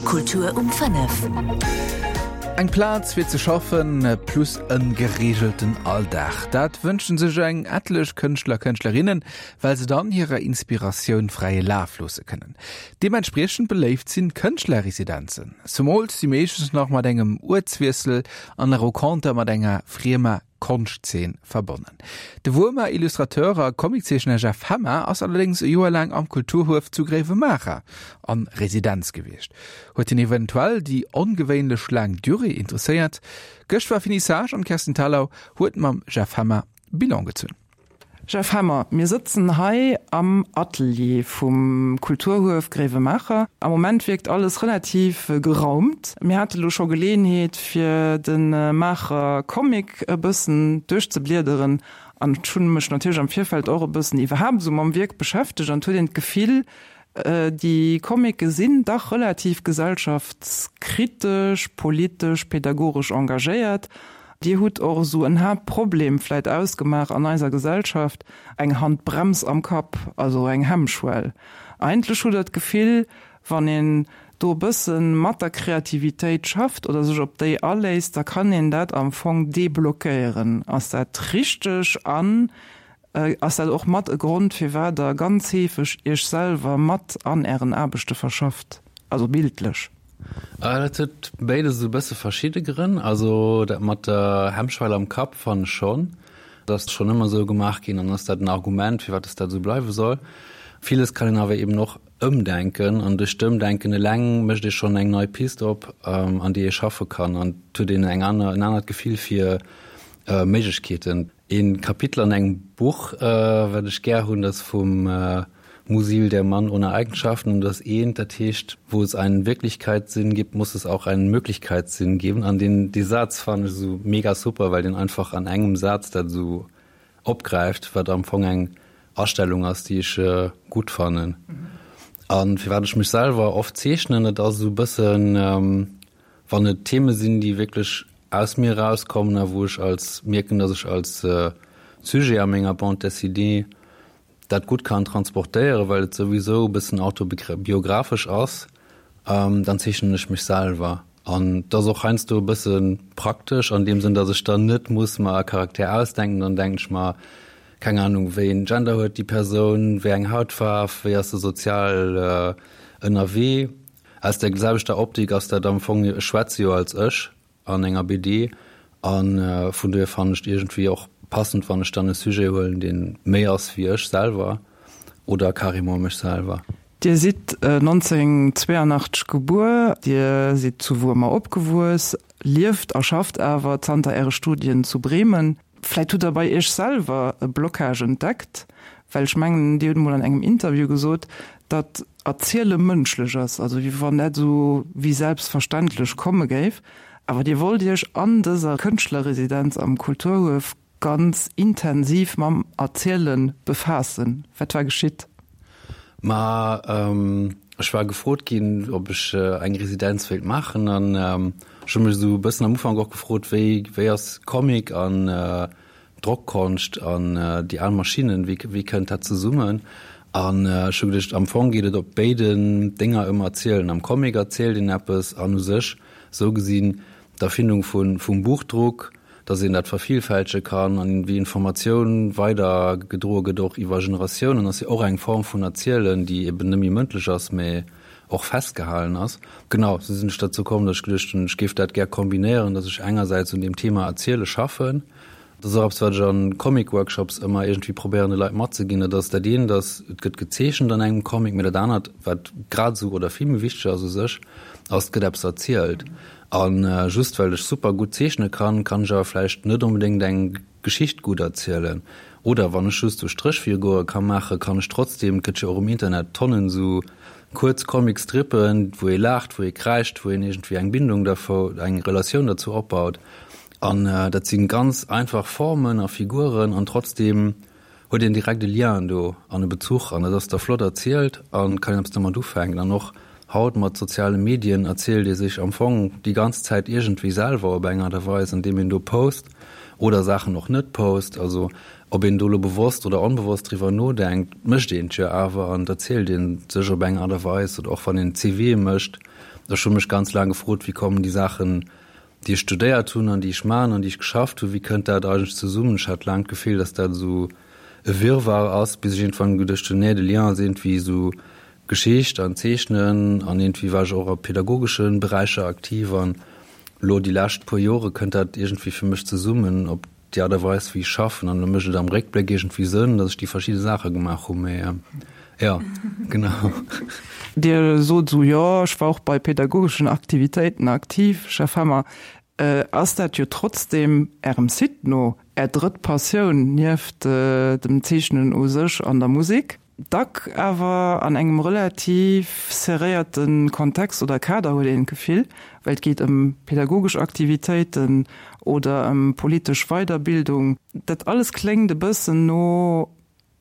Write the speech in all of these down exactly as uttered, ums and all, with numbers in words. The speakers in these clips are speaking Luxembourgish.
Kultur um fënnef. Eng Plaz fir ze schaffen, plus e gereegelten Alldag. Dat wënschen sech eng etlech Kënschtler, Kënschtlerinnen, well se dann hirer Inspiratioun fräie Laf loosse kënnen. Deementspriechend beléift sinn Kënschtlerresidenzen. Zemools si meeschtens nach mat engem Uertswiessel an der Renconter mat enger friemer Konschtzeen verbonnen. De Wuermer Illustrateur a Comiczeechner Jeff Hemmer ass allerdéngs e Joer laang am Kulturhuef zu Gréiwemaacher an Residenz gewiescht. Huet hien eventuell déi ongewéinlech laang Durée interesséiert? Gëscht war Finissage an d'Kerstin Thalau huet mam Jeff Hemmer Bilan gezunn. Jeff Hemmer, mir sëtzen hei am Atelier vum Kulturhuef Gréiwemaacher. Am Moment wierkt alles relativ geraumt. Mir hate lo scho Geleeënheet fir de Maacher Comic e bëssen duerchzebliederen an ech hunn mech natierlech am Virfeld och e bëssen iwwerhaapt esou mam Wierk beschäftegt an et huet een d'Gefill, déi Comicë sinn dach relativ gesellschaftskritesch, politesch, pedagogesch engagéiert. Dir hutt och esou en Haaptproblem vläit ausgemaach an eiser Gesellschaft, eng Handbrems am Kapp, also eng Hemmschwell. Eigentlech hutt Der d'Gefill, wann een do e bësse mat der Kreativitéit schafft oder sech op déi aléisst, da kann een dat am Fong deblockéieren. Ass dat richteg an ass dat och mat e Grond, firwat Der ganz heefeg Iech selwer mat an Ären Aarbechte verschafft, also bildlech? Dat huet béides esou e bësse verschidde Grënn. Also dat mat der Hemmschwell am Kapp fannen ech schonn. Dat ass schonn ëmmer esou gemaach ginn an ass dat en Argument, firwat dass dat esou bleiwe soll. Villes kann een awer eben och ëmdenken an duerch d'Ëmdenken eleng mécht ee schonn eng nei Pist op, an déi ee schaffe kann an et huet een eng aner, en anert Gefill fir Méiglechkeeten. Een Kapitel an engem Buch, wat ech gär hunn, dat ass vum Musil, der Mann ohne Eigenschaften, und das eent, dat heescht, Wo es einen Wirklichkeitssinn gibt, muss es auch einen Möglichkeitssinn geben. An deen, dee Saz fannen ech esou mega super, well deen einfach an engem Saz dat esou opgräift, wat am Fong eng Astellung ass, déi ech gutt fannen. A firwat ech mech selwer oft zeechnen, dat ass esou e bëssen, wann et Theme sinn, déi wierklech aus mir erauskommen a wou ech als mierken, datt ech als Sujet a menger Bande dessinée dat gutt kann transportéieren, well et souwisou e bëssen autobiographesch ass, dann zeechnen ech mech selwer. An et ass och heiansdo e bësse praktesch an deem Sënn, datt ech dann net muss mer e Charakter ausdenken, dann denken ech mer, keng Ahnung, wéi een Gender huet déi Persoun, wéi eng Hautfaarf, wéi ass se sozial ënnerwee. Aus der selwechter Optik ass dat am Fong, ech schwätze jo als ech an enger B D a vun dohier fannen ech et iergendwéi och passend, wann ech dann e Sujet huelen, dee méi ass wéi ech selwer oder carrément mech selwer. Dir sidd nonzénhunnertzwéianachtzeg gebuer, Dir sidd zu Wuermer opgewuess, lieft a schafft awer zanter Äre Studien zu Bremen. Vläit hutt Der bei Iech selwer e Blocage entdeckt, well ech mengen, Dir hutt emol an engem Interview gesot, datt Erziele mënschlech ass, also wéi wann dat esou wéi selbstverständlech komme géif. Awer Dir wollt Iech an dëser Kënschtlerresidenz am Kulturhuef ganz intensiv mam Erziele befaassen. Wat war geschitt? Ma ech war gefrot ginn, ob ech eng Residenz wéilt maachen an ech hu mech esou e bëssen am Ufank och gefrot, wéi wéi ass Comic an Drockkonscht an déi al Maschinnen, wéi wéi kënnt dat zesummen? An ech hu geduecht, am Fong geet et op béiden Dénger ëm Erzielen. Am Comic erzielt een eppes an u sech, esou gesinn, d'Erfindung vu vum Buchdruck, datt een dat vervielfältege kann an wéi Informatioun weider gedroe gëtt, och iwwer Generatiounen, ass jo och eng Form vun Erzielen, déi eben net méi mëndlech ass, mä och festgehalen ass. Genau, esou sinn ech derzou komm, datt ech geduecht hunn, ech géif dat gär kombinéieren, datt ech engersäits un deem Thema Erziele schaffen. Dat ass och eppes, wat ech a Comic-Workshops ëmmer iergendwéi probéieren de Leit matzeginn, dat ass dat eent ass, et gëtt gezeechent an engem Comic, mä dat anert, wat grad esou oder vill méi wichteg ass u sech, ass, et gëtt eppes erzielt. A just well ech super gutt zeechne kann, kann ech awer vläicht net onbedéngt eng Geschicht gutt erzielen. Oder wann ech just sou Stréchfigure ka maachen, kann ech trotzdem, et gëtt jo och um Internet Tonnen sou kuerz Comicstrippen, wou ee laacht, wou ee kräischt, wou een iergendwéi eng Bindung dervou, eng Relatioun derzou opbaut. An dat si ganz einfach Formen a Figuren an trotzdem huet een direkt e Lien do an e Bezuch an dat ass da flott erzielt a kann een eppes domat ufänken. An och haut mat soziale Medien erzielt ee sech am Fong déi ganz Zäit iergendwéi selwer op eng Aart a Weis, andeem een do post oder Saachen och net post. Also ob een do elo bewosst oder onbewosst driwwer nodenkt, mécht een et jo awer an et erzielt ee sech op eng Aart a Weis. Oder och wann een C V mécht, Ech hu mech ganz laang gefrot, wéi kommen déi Saachen, déi ech studéiert hunn an déi ech maachen an déi ech geschafft hunn, wéi kënnt dat eigentlech zesummen? Ech hat laang d'Gefill, dass dat esou e Wirrwarr ass, bis ech iergendwann geduecht hunn, nee, de Lien ass iergendwéi esou Geschicht an Zeechnen an iergendwéi war ech och a pädagogesche Beräicher aktiv an elo déi lescht puer Jore kënnt dat iergendwéi fir mech zesummen op déi Aart a Weis wéi ech schaffen an elo mécht et am Réckbléck iergendwéi Sënn, datt ech déi verschidde Saache gemaach hunn, mee jo, genau. Dir sot esou, jo, ech war och bei pädagogeschen Aktivitéiten aktiv, Jeff Hemmer. Ass dat jo trotzdem, Ärem Site no, Är drëtt Passioun nieft dem Zeechnen u sech an der Musek? Dack awer an engem relativ serréierte Kontext oder Kader, huet een d'Gefill, well et geet ëm pädagogesch Aktivitéiten oder ëm politesch Weiderbildung. Dat alles kléngt e bëssen no,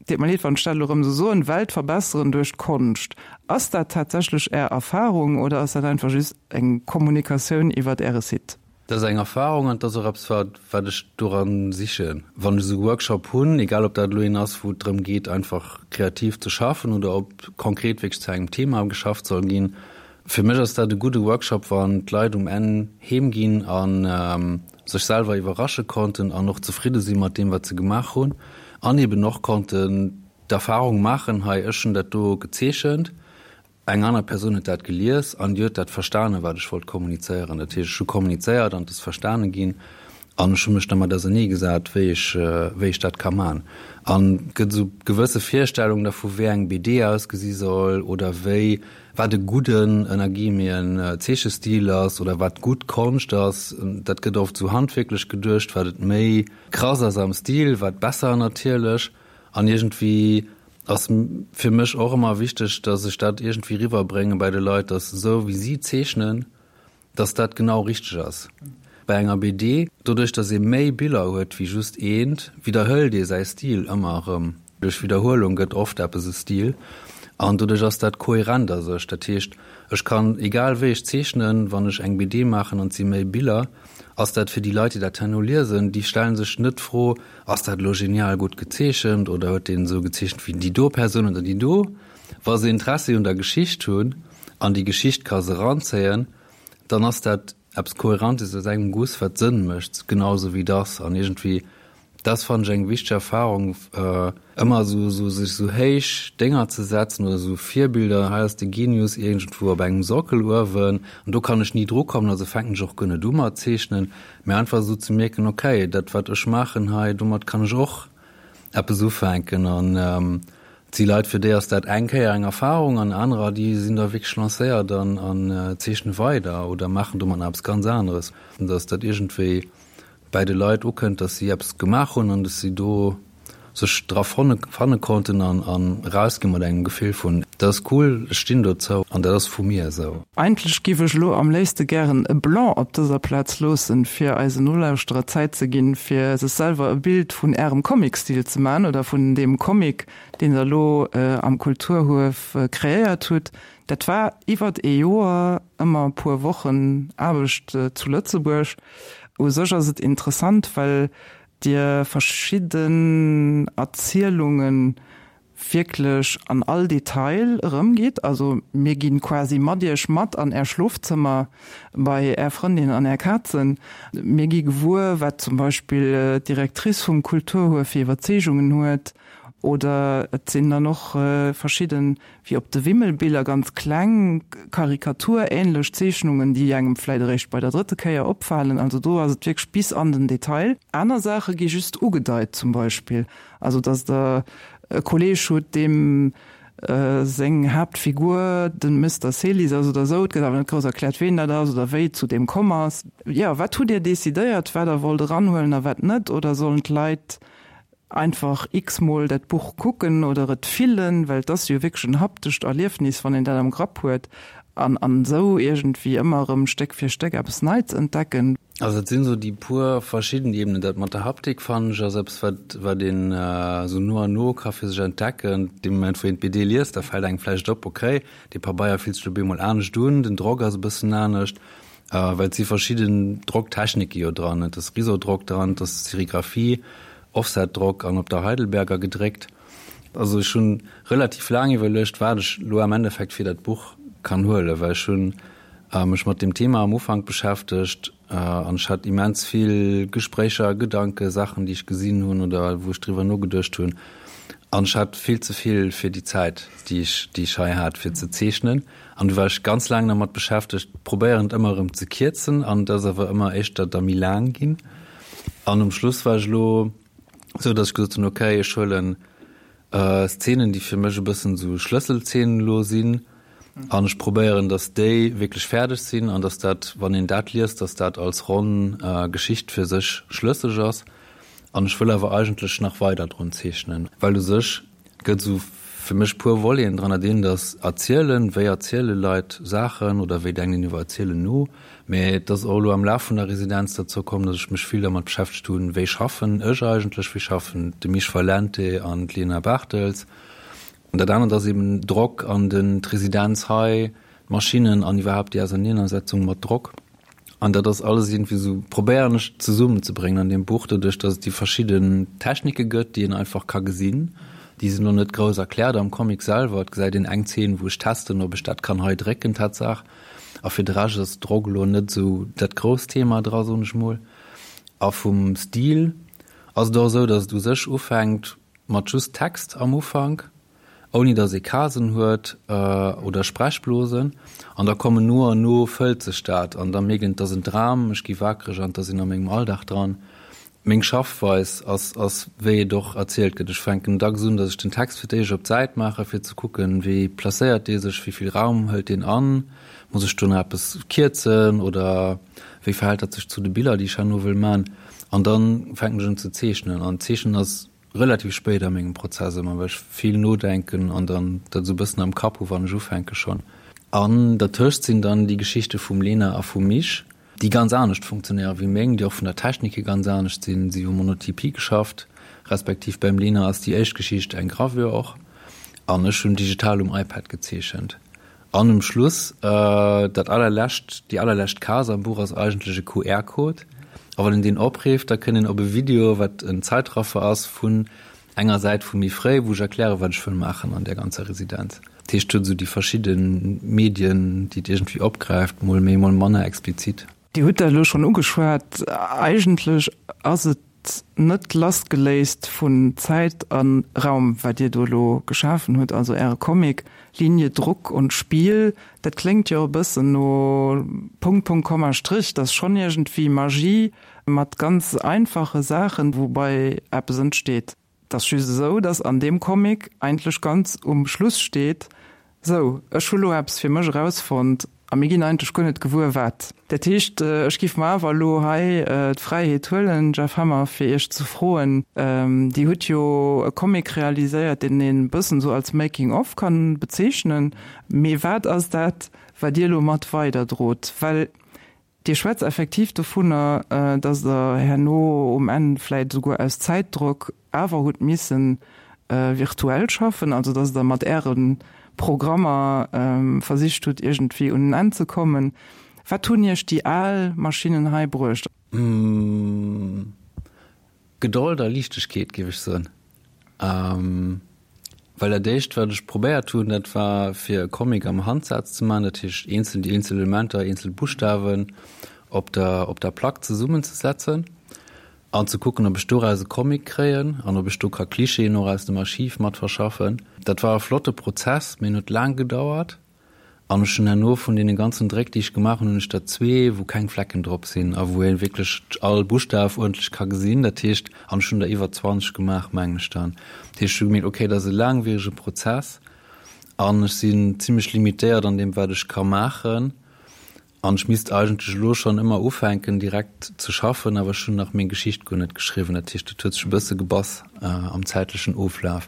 deet mer leed, wann ech dat elo erëm esou soen, Welt verbesseren duerch d'Konscht. Ass dat tatsächlech Är Erfarung oder ass dat einfach just eng Kommunikatioun iwwert Äre Site? Dat ass eng Erfahrung an et ass och eppes, wat, wat ech doran sichen. Wann ech esou e Workshop hunn, egal ob dat elo een ass, wou et drëm geet, einfach kreativ ze schaffen oder ob konkret wierklech zu engem Thema geschafft soll ginn, fir mech ass dat e gudde Workshop, wann d'Leit um Enn heem ginn a sech selwer iwwerrasche konnten an och zefridde si mat deem, wat se gemaach hunn an eben och konnten d'Erfahrung maachen, hei, ech hunn dat do gezeechent, Eng aner Persoun huet dat gelies an déi huet dat verstanen, wat ech wollt kommunizéieren. Dat heescht, ech hu kommunizéiert an et ass verstane ginn an ech hu mech dermat ausernee gesat, wéi ech, wéi ech dat ka man. An et gëtt esou gewësse Virstellungen dervu, wéi eng B D ausgesi soll oder wéi, wat e gudden, ënner Guillemeten, Zeechestil ass oder wat gutt Konscht ass. Dat gëtt oft esou handwierklech geduecht, wat et méi krass ass am Stil, wat besser natierlech. An iergendwéi ass fir mech och ëmmer wichteg, dass ech dat iergendwéi riwwerbrénge bei de Leit, dass esou wéi si zeechnen, dass dat genau richteg ass. Bei enger B D, doduerch dass ee méi Biller huet wéi just eent, widderhëlt ee säi Stil ëmmer erëm. Duerch Widderhuelung gëtt oft eppes e Stil an doduerch ass dat kohärent a sech. Dat heescht, ech kann, egal wéi ech zeechnen, wann ech eng B D maachen an et si méi Biller, ass dat fir déi Leit, déi dat herno liesen, déi stelle sech net d'Fro, ass dat elo genial gutt gezeechent oder huet deen esou gezeechent wéi déi do Persoun oder déi do. Wa se Interessi un der Geschicht hunn an déi Geschicht ka se eranzéien, dann ass dat eppes Kohärentes aus engem Guss, wat Sënn mécht, genau esou wéi et ass. An iergendwéi Dat fannen ech eng wichteg Erfahrung, ëmmer esou esou sech esou héich Dénger ze setzen oder esou Virbilder, hei ass de Genius iergendwou op engem Sockel uewen an do kann ech ni dru kommen, also fänken ech och guer net u mat zeechnen, mä einfach esou ze mierken, okay, dat wat ech maachen hei, domat kann ech och eppes ufänken. An et si Leit, fir déi ass dat eng Kéier eng Erfahrung an anerer, déi sinn da wierklech lancéiert an an zeechne weider oder maachen domat nach eppes ganz aneres, dass dat iergendwéi bäi de Leit ukënnt, dass si eppes gemaach hunn an dass si do sech dra fanne konnten an erausgi mat engem Gefill vun, dat ass cool, ech stinn dozou an dat ass vu mir esou. Eigentlech giff ech elo am léifste gären e Blanc op dëser Plaz loossen, fir eisen Nolauschterer Zäit ze ginn, fir sech selwer e Bild vun Ärem Comic-Stil ze man oder vun deem Comic, deen Der elo am Kulturhuef kreéiert hutt. Dat war iwwert ee Joer, ëmmer e puer Wochen Aarbecht zu Lëtzebuerg. U sech ass et interessant, well Dir verschidden Erzielunge wierklech an all Detail erëmgitt. Also mir gi quasi mat Iech mat an Är Schlofzëmmer, bei Är Frëndin an Är Kazen. Mir gi gewuer, wat zum Beispill d'Directrice vum Kulturhuef fir Iwwerzeegungen huet. Oder et sinn dann och verschidden, wéi op de Wimmelbiller, ganz kleng, karikaturähnlech Zeechnungen, déi engem vläit eréischt bei der drëtte Kéier opfalen. Also do ass et wierklech bis an den Detail. Aner Saache gi just ugedeit, zum Beispill, also datt Der e Kolleeg hutt, deem seng Haaptfigur den Mister Celis ass oder esou. Et gëtt awer net grouss erkläert, ween dat ass oder wéi et zu deem komm ass. Jo, wat hutt Dir decidéiert, wat Der wollt eranhuelen a wat net? Oder sollen d'Leit einfach x-mol dat Buch kucken oder et fillen, well et ass jo wierklech en haptescht Erliefnis, wann een dat am Grapp huet, an an esou iergendwéi ëmmer erëm Stéck fir Stéck eppes Neits entdecken. Also et sinn esou déi puer verschidden Ebenen. Dat mat der Haptik fannen ech ass eppes, wat wat een esou no an no ka fir sech entdecken. Dee Moment wou een d'B D liest, da fält engem vläicht op, okay, dee Pabeier fillt sech op eemol anescht un, den Drock ass e bëssen anescht. Well et si verschidden Drocktechnike jo dran, et ass Risodrock dran, et ass Serigraphie, Offsetdrock an op der Heidelberger gedréckt. Also ech hunn relativ laang iwwerluecht, wat ech lo am Endeffekt fir dat Buch kann huelen, well ech hunn mech mat dem Thema am Ufank beschäftegt an ech hat immens vill Gespréicher, Gedanke, Saachen, déi ech gesinn hunn oder wou ech driwwer nogeduecht hunn. An ech hat vill ze vill fir déi Zäit, déi ech, déi ech hei hat, fir ze zeechnen. An du war ech ganz laang dermat beschäftegt, probéieren et ëmmer erëm ze kierzen an et ass awer ëmmer éischter da méi laang ginn. An um Schluss war ech elo esou, datt ech gesot hunn, okay, ech huelen Szenen, déi fir mech e bëssen esou Schlësselszenen elo sinn an ech probéieren, datt déi wierklech fäerdeg sinn an datt dat, wann een dat liest, datt dat als ronn Geschicht fir sech schlësseg ass. An ech wëll awer eigentlech nach weider drun zeechnen, well u sech gëtt esou fir mech puer Voleten dran, dat eent ass erzielen, wéi erziele Leit Saachen oder wéi denken een iwwer Erzielen no, mä et ass och elo am Laf vun der Residenz derzou komm, datt ech mech vill dermat beschäftegt hunn, wéi schaffen ech eigentlech, wéi schaffen de Mich Valente an d'Lena Barthels. An dat anert ass eben Drock an den d'Residenz hei, d'Maschinnen an iwwerhaapt déi Ausernenersetzung mat Drock. An dat ass alles iergendwéi esou, probéieren ech zesummenzebréngen an deem Buch, doduerch datt et déi verschidden Technike gëtt, déi een einfach ka gesinn. Déi sinn elo net grouss erkläert am Comic selwer. Et gesäit een eng Zeen, wou ech testen, ob ech dat kann hei drécken, Tatsaach. A fir de Rescht ass Drock elo net esou dat grousst Thema dra, soen ech mol. A vum Stil ass et och esou, datt et u sech ufänkt mat just Text am Ufank, ouni datt ee Casen huet oder Sprechblosen, an da kommen no an no fëllt sech dat an da mierkt een, et ass en Dram, ech gi wakereg an et ass een a mengem Alldag dran. Meng Schaffweis ass ass wéi et och erzielt gëtt. Ech fänken dacks un, datt ech den Text fir d'éischt op d'Säit maache fir ze kucken, wéi placéiert dee sech, wéi vill Raum hëlt deen an, muss ech do nach eppes kierzen oder wéi verhält dat sech zu de Biller, déi ech herno wëll man. An da fänken ech un ze zeechnen an d'Zeechnen ass relativ spéit a mengem Prozess ëmmer, well ech vill nodenken an dann dat esou e bëssen am Kapp hu wann ech ufänke schonn. An dertëscht sinn dann déi Geschichte vum Lena a vum Mich, déi ganz anescht funktionéiere wéi meng, déi och vun der Technik hier ganz anescht sinn. Si hu Monotypie geschafft, respektiv beim Lena ass déi éischt Geschicht eng Gravure och an ech hunn digital um iPad gezeechent. An um Schluss, dat allerlescht, déi allerlescht Case am Buch ass eigentlech e Q R-Code. A wann een deen opreeft, da kënnt een op e Video, wat en Zeitraffer ass vun enger Säit vu méi fréi, wou ech erklären, wat ech wëll maachen an där ganzer Residenz. Dat heescht, et huet esou déi verschidde Medien, déi et iergendwéi opgräift, mol méi, mol manner explizit. Dir hutt dat elo schonn ugeschwat, eigentlech ass et net lassgeléist vun Zäit a Raum, wat Dir do elo geschafen hutt, also Äre Comic Linie, Druck und Spiel, dat kléngt jo e bëssen no Punkt, Punkt, Komma, Strich, dat ass schonn iergendwéi Magie mat ganz einfache Saachen, woubäi eppes entsteet. Et ass just esou, dass an deem Comic eigentlech ganz um Schluss steet, Sou, ech hu lo eppes fir mech erausfonnt a mir ginn eigentlech guer net gewuer wat. Dat heescht, ech giff mer awer elo hei d'Fräiheet huelen, Jeff Hammer, fir Iech ze froen, Dir hutt jo e Comic realiséiert, deen een e bëssen esou als Making of kann bezeechnen, mee wat ass dat, wat Dir elo mat weiderdrot? Well Dir schwätzt effektiv dovunner, dass Der herno um Enn vläit esouguer aus Zäitdrock awer hutt missen virtuell schaffen, also dass Der mat Äre Programmer versicht hutt, iergendwéi un en Enn ze kommen. Wat hunn Iech déi al Maschinnen hei bruecht? Gedold a Liichtegkeet, géif ech soen. Well dat éischt, wat ech probéiert hunn, dat war fir e Comic am Handsaz ze maachen, dat heescht eenzel, déi eenzel Elementer, eenzel Buschtawen op der, op der Plack zesummenzesetzen an ze kucken, ob ech doraus e Comic kréien an ob ech do ka Klischeeën och aus dem Archiv mat verschaffen. Dat war e flotte Prozess, mee en huet laang gedauert. An ech hunn herno vun deene ganzen Dréck, déi ech gemaach hunn, hunn ech der zwee, wou keng Flecken drop sinn a wou ee wierklech all Buschtaf uerdentlech ka gesinn. Dat heescht, an ech hunn der iwwer zwanzeg gemaach, mengen ech dann. Dat heescht, ech hu gemierkt, okay, dat ass e laangwierege Prozess an ech sinn zimlech limitéiert an deem, wat ech ka maachen. An ech misst eigentlech elo schonn ëmmer ufänken direkt ze schaffen, awer ech hunn nach meng Geschicht guer net geschriwwen. Dat heescht, dat huet sech e bësse gebass am zäitlechen Oflaf.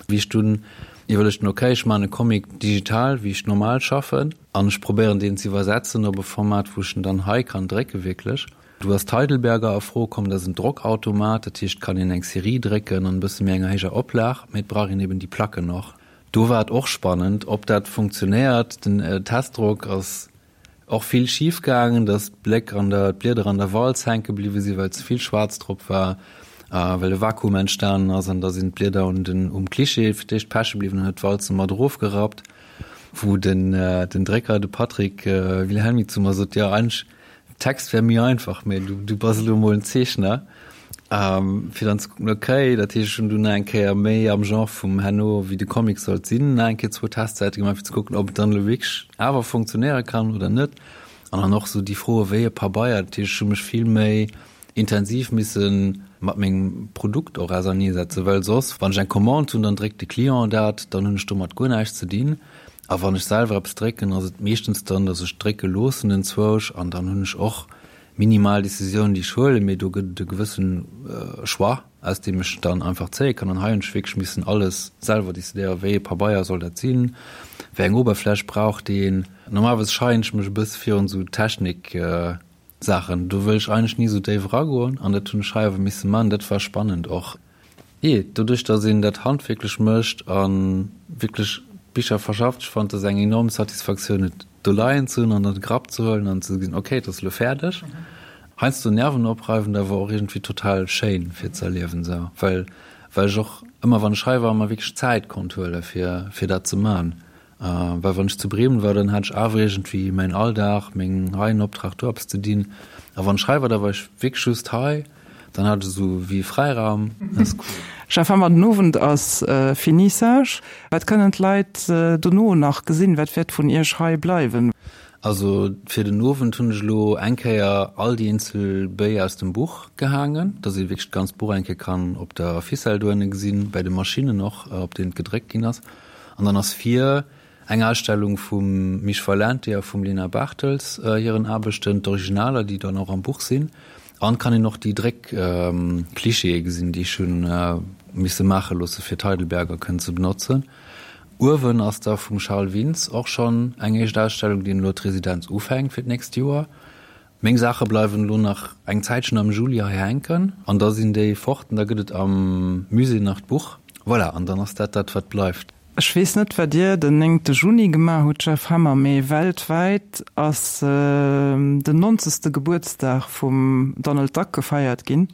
Wéi ech dunn iwwerluecht hunn, ok, ech maachen e Comic digital, wéi ech normal schaffen, an ech probéieren deen ze iwwersetzen op e Format, wou ech en dann hei kann drécke wierklech. Du ass d'Heidelberger a Fro komm, dat ass en Drockautomat, dat heescht, et kann een eng Serie drécken an e bësse méi enger héijer Oplag, mee et brauch een eben déi Placken och. Do war et och spannend, ob dat funktionéiert. Den Testdrock ass och vill schif gaangen, dass d'Bléck an der, d'Blieder an der Walz hänke bliwwe sinn, well ze vill Schwaarz drop war, well e Vakuum entstanen ass an da sinn d'Blieder un den, um Klischee fir d'éischt peche bliwwen an huet d'Walze mat erofgerappt. Wou den, den Drécker, de Patrick Wilhelmy zu mer sot, jo eigentlech Text wär méi einfach, mee du, du bass elo emol en Zeechner, fir dann ze kucken, okay, dat heescht ech hunn dunn nach eng Kéier méi am Genre vum herno wéi de Comic sollt sinn, nach eng Kéier zwou Testsäite gemaach fir ze kucken, ob et dann elo wierklech awer funktionéiere kann oder net. An dann och sou déi Froe wéi e Pabeier, dat heescht ech hu mech vill méi intensiv misse mat mengem Produkt och auserneesetzen, well soss, wann ech eng Commande hunn, dann dréckt de Client dat, dann hunn ech domat guer näischt ze dinn. A wann ech selwer eppes drécken, ass et meeschtens dann, datt ech drécke loossen enzwousch an dann hunn ech och minimal Decisiounen, déi ech huelen, mee do gëtt et e gewësse Choix, aus deem ech dann einfach zéie kann. An hei hunn ech wierklech missen alles selwer decidéieren, wéi ee Pabeier soll dat sinn, wéi eng Oberfläch brauch deen. Normalerweis scheien ech mech e bësse virun esou Technik Saachen, do wëll ech eigentlech ni esou déif eragoen an dat hunn ech hei awer misse man. Dat war spannend och. Jee, doduerch datt een dat handwierklech mécht a wierklech d'Bicher verschafft, ech fannen, et ass eng enorm Satisfaktioun et do leien ze hunn an an de Grapp ze huelen an ze gesinn, okay, et ass elo fäerdeg. Heiansdo nervenopreifend, awer och iergendwéi total schéin fir ze erliewen esou, well well ech och ëmmer wann ech hei war mer wierklech Zäit konnt huele fir fir dat ze man. Well wann ech zu Bremen war, dann hat ech awer iergendwéi mäin Alldag, meng hei en Optrag, do eppes ze dinn. A wann ech hei war, da war ech wierklech just hei. Dann hat ech esou wéi e Fräiraum. Dat ass cool. Jeff Hammer, den Owend ass Finissage. Wat kënnen d'Leit dono nach gesinn? Wat wäert vun Iech hei bleiwen? Also fir den Owend hunn ech elo eng Kéier all déi eenzel Béi aus dem Buch gehaangen, dass ee wierklech d'ganzt Buch eng Kéier kann op der Ficelle dohinne gesinn, bäi de Maschinnen och, op deenen et gedréckt ginn ass. An dann ass vir eng Ausstellung vum Mich Valente a vum Lena Bartels hiren Aarbechten, d'Originaler, déi dann och am Buch sinn. An kann een och déi Dréck-Klischeeë gesinn, déi ech hunn misse maache loosse fir d'Heidelberger kënnen ze benotzen. Uewen ass da vum Charles Wintz och schonn eng éischt Ausstellung, déi elo d'Residenz ufänkt fir d'nächst Joer. Meng Saache bleiwen elo nach eng Zäitchen am Juli hei hänken an da sinn déi fort an da gëtt et am Musée nach d'Buch. Voilà, an dann ass dat dat, wat bleift. Ech weess net, wat Dir den néngte Juni gemaach hutt, Jeff Hammer, mee weltwäit ass den nonzegste Gebuertsdag vum Donald Duck gefeiert ginn,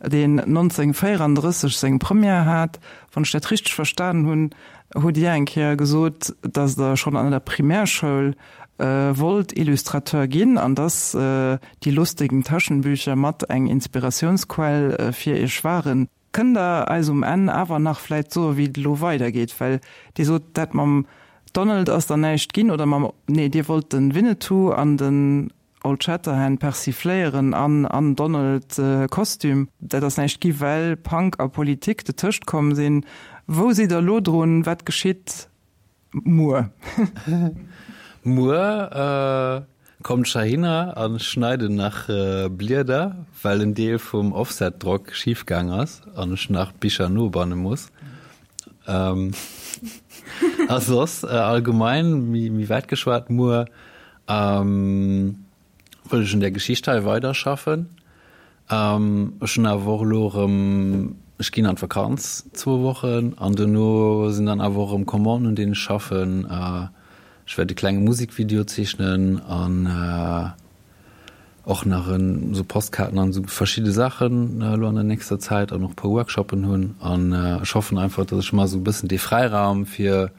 deen nonzénhunnertvéierandrësseg seng Première hat. Wann ech dat richteg verstanen hunn, hutt Dir eng Kéier gesot, datt Der schonn an der Primärschoul wollt Illustrateur ginn an dass Die lustigen Taschenbücher mat eng Inspiratiounsquell fir Iech waren. Kënnt Der eis um Enn awer nach vläit soen, wéi et elo weidergeet? Well Dir sot, dat mam Donald ass dann näischt ginn, oder mam, nee, Dir wollt de Winnetou an den Old Shatterhand persifléieren an an Donald-Kostüm. Dat ass näischt gi well Punk a Politik detëscht komm sinn. Wou sidd Der elo drun? Wat geschitt muer? Muer kommt ech heihinner a schneiden nach Blieder, well en Deel vum Offsetdrock schif gaang ass an ech nach Bicher nobanne muss. A soss allgemein, méi wäit geschwat, muer wëll ech un där Geschicht hei weiderschaffen. Ech hunn awer och elo erëm, ech ginn an d'Vakanz zwou Wochen an dono sinn dann awer och erëm Commanden, un deenen ech schaffen. Ech wäert e klenge Musekvideo zeechnen an och nach esou Postkaarten an esou verschidde Saachen elo an der nächster Zäit an och e puer Workshoppen hunn. An ech hoffen einfach, datt ech mer esou e bëssen dee Fräiraum fir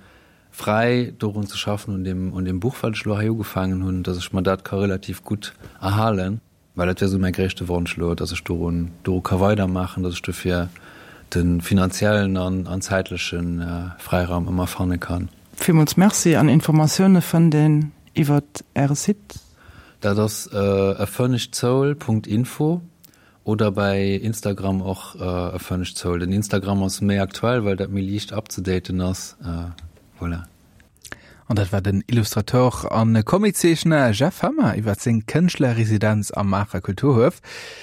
fräi dorun ze schaffen un deem un deem Buch, wat ech elo hei ugefaangen hunn, datt ech mer dat ka relativ gutt erhalen. Well dat wär esou mäi gréischte Wonsch elo, datt ech dorun doru ka weidermaachen, datt ech dofir de finanziellen an an zäitleche Fräiraum ëmmer fanne kann. Villmools Merci an Informatioune fënnt een iwwert Äre Site. Dat ass a furnished soul punkt info oder bäi Instagram och a furnished soul. Den Instagram ass méi aktuell, well dat méi liicht upzedaten ass. Voilà. An dat war den Illustrateur an Comiczeechner Jeff Hammer iwwer seng Kënschtlerresidenz am Maacher Kulturhuef.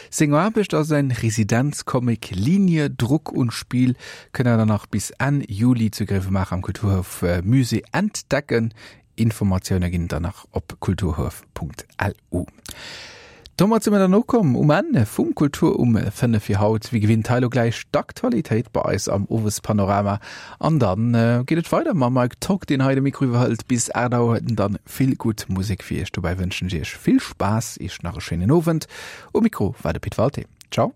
Seng Aarbecht a säin Residenzcomic Linie, Druck und Spiel kënnt der dann nach bis Enn Juli zu Gréiwemaacher am Kulturhuef Musée entdecken. Informatioune ginn et dann nach op kulturhuef.lu. Domat si mer dann ukomm um Enn vum Kultur um fënnef fir haut. Wéi gewinnt hei elo gläich d'Aktualitéit bei eis am Owespanorama an dann geet et weider mam Mike Tock, deen hei de Mikro iwwerhëlt bis aacht Auer. Huet en dann vill gutt Musek fir iech. Dobäi wënschen ech iech vill Spaass, iech nach e schéinen Owend. Um Mikro war de Pit Walté. Ciao.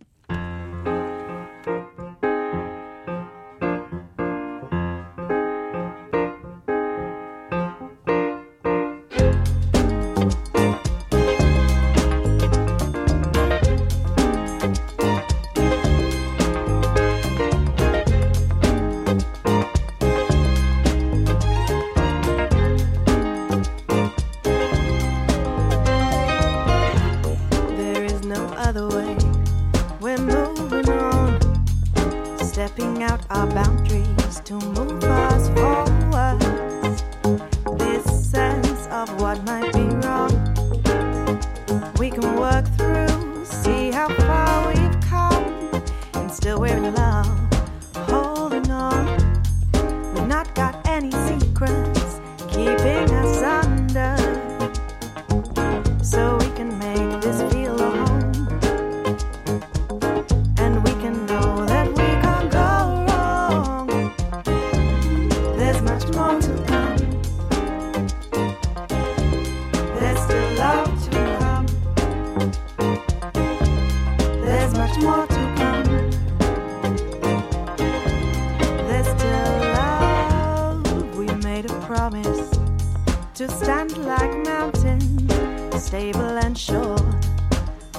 Stable and sure,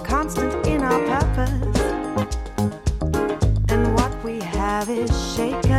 constant in our purpose. And what we have is shaken.